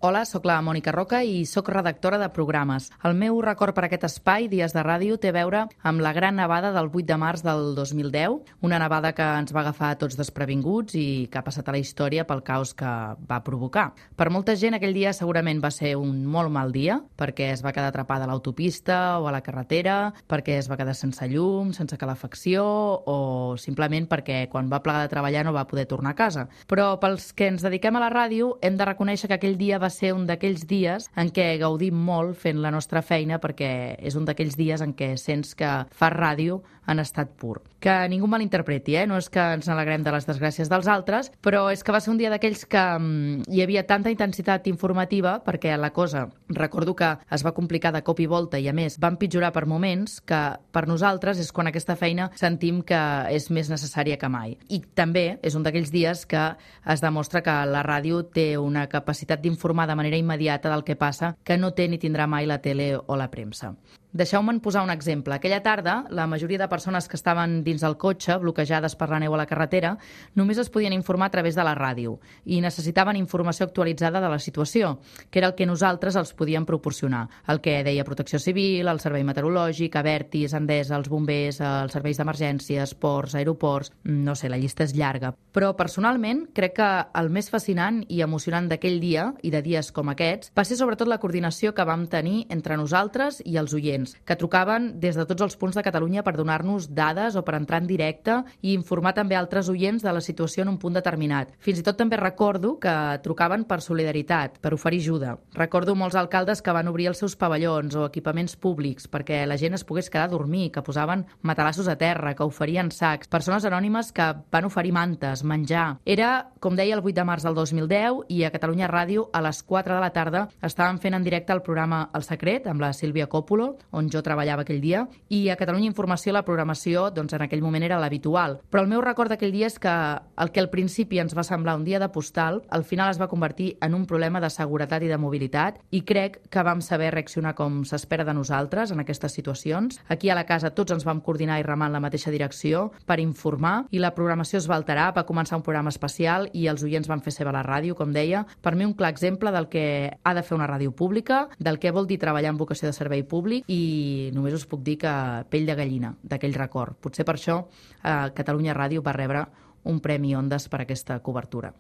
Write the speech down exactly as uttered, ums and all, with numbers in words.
Hola, sóc la Mònica Roca i sóc redactora de programes. El meu record per aquest espai, Dies de Ràdio, té a veure amb la gran nevada del vuit de març del dos mil deu, una nevada que ens va agafar a tots desprevinguts i que ha passat a la història pel caos que va provocar. Per molta gent aquell dia segurament va ser un molt mal dia, perquè es va quedar atrapada a l'autopista o a la carretera, perquè es va quedar sense llum, sense calefacció o simplement perquè quan va plegar de treballar no va poder tornar a casa. Però pels que ens dediquem a la ràdio hem de reconèixer que aquell dia va ser un d'aquells dies en què gaudim molt fent la nostra feina, perquè és un d'aquells dies en què sents que fas ràdio en estat pur. Que ningú malinterpreti, eh? No és que ens n'alegrem de les desgràcies dels altres, però és que va ser un dia d'aquells que um, hi havia tanta intensitat informativa, perquè la cosa, recordo que es va complicar de cop i volta i a més va empitjorar per moments, que per nosaltres és quan aquesta feina sentim que és més necessària que mai. I també és un d'aquells dies que es demostra que la ràdio té una capacitat d'informar de manera immediata del que passa que no té ni tindrà mai la tele o la premsa. Deixeu-me'n posar un exemple. Aquella tarda, la majoria de persones que estaven dins del cotxe, bloquejades per la neu a la carretera, només es podien informar a través de la ràdio i necessitaven informació actualitzada de la situació, que era el que nosaltres els podíem proporcionar. El que deia Protecció Civil, el Servei Meteorològic, Avertis, Endesa, els bombers, els serveis d'emergències, ports, aeroports... No sé, la llista és llarga. Però personalment crec que el més fascinant i emocionant d'aquell dia, i de dies com aquests, va ser sobretot la coordinació que vam tenir entre nosaltres i els oients, que trucaven des de tots els punts de Catalunya per donar-nos dades o per entrar en directe i informar també altres oients de la situació en un punt determinat. Fins i tot també recordo que trucaven per solidaritat, per oferir ajuda. Recordo molts alcaldes que van obrir els seus pavellons o equipaments públics perquè la gent es pogués quedar a dormir, que posaven matalassos a terra, que oferien sacs, persones anònimes que van oferir mantes, menjar. Era, com deia, el vuit de març del dos mil deu i a Catalunya Ràdio a les quatre de la tarda estaven fent en directe el programa El Secret amb la Sílvia Coppola, on jo treballava aquell dia, i a Catalunya Informació la programació doncs, en aquell moment era l'habitual. Però el meu record d'aquell dia és que el que al principi ens va semblar un dia de postal, al final es va convertir en un problema de seguretat i de mobilitat, i crec que vam saber reaccionar com s'espera de nosaltres en aquestes situacions. Aquí a la casa tots ens vam coordinar i remar en la mateixa direcció per informar, i la programació es va alterar, va començar un programa especial i els oients van fer seva la ràdio, com deia. Per mi un clar exemple del que ha de fer una ràdio pública, del que vol dir treballar en vocació de servei públic, i i només us puc dir que pell de gallina d'aquell record. Potser per això eh, Catalunya Ràdio va rebre un Premi Ondas per aquesta cobertura.